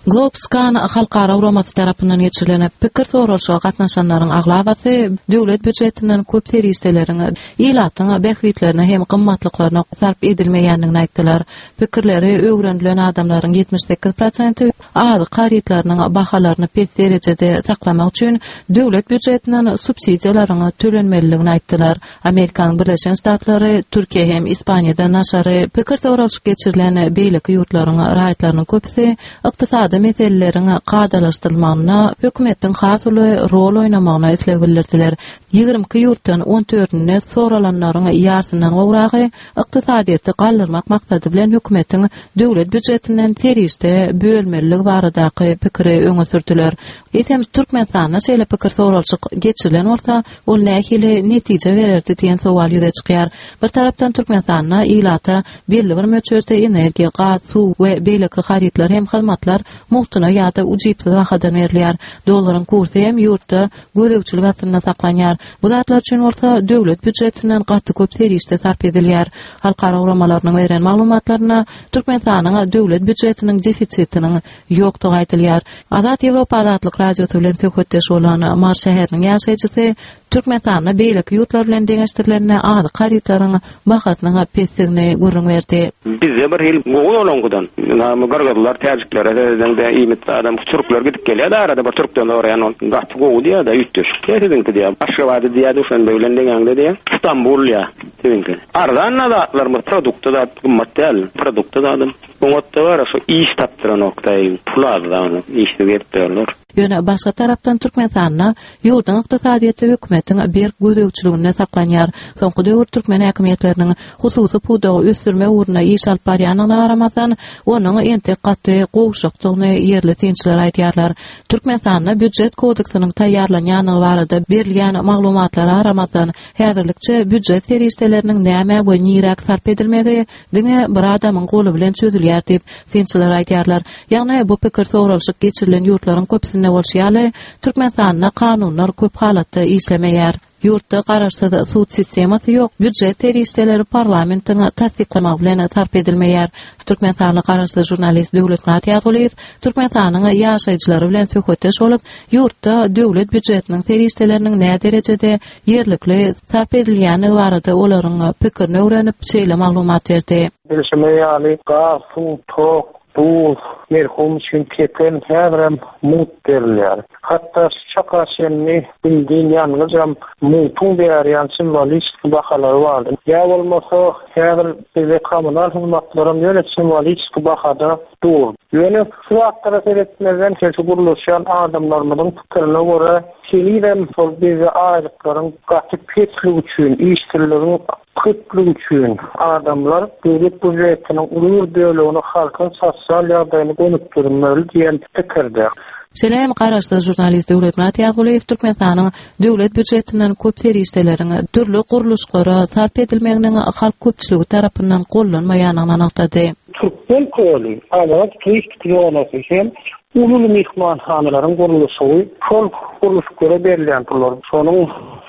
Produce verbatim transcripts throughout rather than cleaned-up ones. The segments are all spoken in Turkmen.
Globscan halkara guramasy tarapyndan geçirilen pikir soralyşyga gatnaşanlaryň aglabasy döwlet býujetinden köp serişdeleriň ilatyň bähbitlerine hem gymmatlyklaryna sarp edilmeýändigini aýtdylar. Pikirleri öwrenilen adamlaryň ýetmiş sekiz prosenti azyk harytlarynyň bahalaryny pes derejede saklamak üçin döwlet býujetinden subsidiýalaryň tölenmelidigini aýtdylar. Amerikanyň Birleşen Ştatlary, Türkiýe hem Ispaniýadan daşary pikir soralyşyk geçirilen beýleki ýurtlaryň raýatlarynyň köpüsi ykdysady meseleleriň kadalaşdyrylmagyna hökümetiň has uly rol oýnamagyna isleg bildirdiler. Ýigrimi iki ýurtdan on dördünde soralanlaryň ýarysyndan gowragy ykdysadyýeti galdyrmak maksady bilen hökümetiň döwlet býujetinden serişde bölmeliligi baradaky pikiri öňe sürdüler. Eýsem Türkmenistanda şeýle pikir soralyşyk geçirilen bolsa, ol nähili netije bererdi diýen sowal ýüze çykýar. Bir tarapdan Türkmenistanda ilata belli bir möçberde energiýa, gaz, suw we beýleki harytlar hem hyzmatlar mugtuna ýa-da ujypsyz bahadan berilýär. Dollaryň kursy hem ýurtda gözegçilik astynda saklanýar. Bu zatlar üçin bolsa döwlet býujetinden gaty köp serişde sarp edilýär. Halkara guramalarynyň beren maglumatlarynda Türkmenistanyň döwlet býujetiniň defisitiniň ýokdugy aýdylýar. Azat Ýewropa Azatlyk Radiosy bilen söhbetdeş bolan Mary şäheriniň ýaşaýjysy Türkmenistanda beýleki ýurtlar bilen deňeşdirilende azyk harytlaryň bahasynyň pesdigini gürrüň berdi. Bizde bir hil gowy olangydan, näme gyrgyzlar, täjiklere seredende iýmit adam türkler gidip gelýär, arada bir türkden soraýan ol gaty gowy diýýär-de, üýtgeşik diýýär, siziňki diýýär. Aşgabatda diýýär, Duşanbe bilen deňäňde diýýär. Stambul diýýär, siziňki. Arzan zatlarymyz, produkty zat gymmat däl, produkty zadam. Oňatda bar, şu iş tapdyranok daýy, pul az da, işsiz gelip durarlar. Ýöne başga tarapdan Türkmenistanda ýurduň ykdysadyýeti hökümetiň berk gözegçiliginde saklanýar. Soňky döwür türkmen häkimiýetleriniň hususy pudagy ösdürmek ugrunda iş alyp barýandygyna garamazdan, onuň entek gaty gowşakdygyny ýerli synçylar aýdýarlar. Türkmenistanda býujet kodeksiniň taýýarlanýandygy barada berilýän maglumatlara garamazdan, häzirlikçe býujet serişdeleriniň näme we niräk sarp edilmegi diňe bir adamyň goly bilen çözülýär diýip synçylar aýdýarlar. Ýagny bu pikir soralyşyk geçirilen ýurtlaryň köpüsinde bolşy ýaly, Türkmenistanda kanunlar köp halatda işlemeýär. Ýurtda garaşsyz sud sistemasy ýok, býujet serişdeleri parlamentiň tassyklamagy bilen sarp edilmeýär. Türkmenistanly garaşsyz žurnalist Döwletmyrat Ýazgulyýew Türkmenistanyň ýaşaýjylary bilen söhbetdeş bolup, ýurtda döwlet býujetiniň serişdeleriniň nä derejede ýerlikli sarp edilýändigi barada olaryň pikirini öwrenip, şeýle maglumat berdi. Bilşime ýaly gaz, suw, tok, duz, merhum üçin kepen häzirem mut berilýär. Hatda şu çaka çenli bildin ýangyjam mutuň berýän simwolik bahalary bardy. Ýa bolmasa häzir bize kommunal hyzmatlaryň ýöne simwolik bahada dur. Ýöne şu wagtlara seretmezden şu gurluşýan adamlarymyzyň pikirine görä henizem şol bize aýlyklaryň gaty pesligi üçin, işsizligiň köplügi üçin adamlar döwlet býujetiniň uly bir bölegini halkyň sosial ýagdaýyny gönükdirmeli diýen pikirde. Şeýle hem garaşsyz žurnalist Döwletmyrat Ýazgulyýew Türkmenistanyň döwlet býujetinden köp serişdeleriň dürli gurluşlara sarp edilmeginiň halk köpçüligi tarapyndan gollanmaýandygyny nygtady. Türkmen köli, Awaza turistik zonasy hem uly mehmanhanalaryň gurluşygy, şol gurluşyklara berilýän pullar, şonuň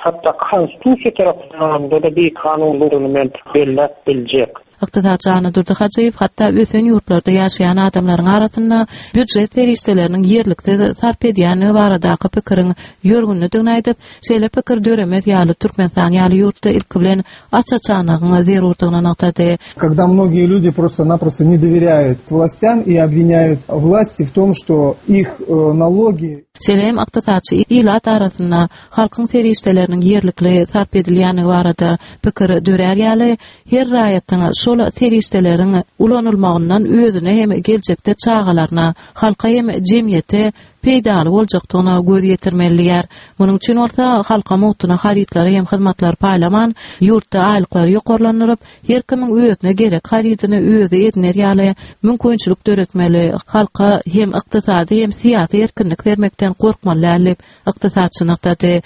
hatda konstitusiýa tarapyndan da bir kanunlygyny men belläp biljek. Ykdysatçy Annadurdy Hajyýew hatda ösen ýurtlarda ýaşaýan adamlaryň arasynda býujet serişdeleriniň ýerliksiz sarp edýändigi baradaky pikiriň ýörgünlidigini aýdyp, şeýle pikir döremez ýaly Türkmenistan ýaly ýurtda ilki bilen aç-açanlygyň zerurdygyny nygtady. Когда многие люди просто-напросто не доверяют властям и обвиняют власти в том, что их, э, налоги Şeýle hem ykdysatçy ilat arasynda halkyň serişdeleriniň ýerlikli sarp edilýändigi barada pikir dörär ýaly, her raýatyň şol serişdeleriň ulanylmagyndan özüne hem geljekde çagalaryna, halka hem jemgyýete peýdaly boljakdygyna göz ýetirmelidir. Munuň üçin bolsa halka mugtuna harytlary hem hyzmatlary paýlaman, ýurtda aýlyklary ýokarlandyryp, her kimiň özüne gerek harydyny özi ediner ýaly mümkinçilik döretmeli, halka hem ykdysady hem syýasy erkinlik bermekden korkmaly däl diýip ykdysatçy nygtady.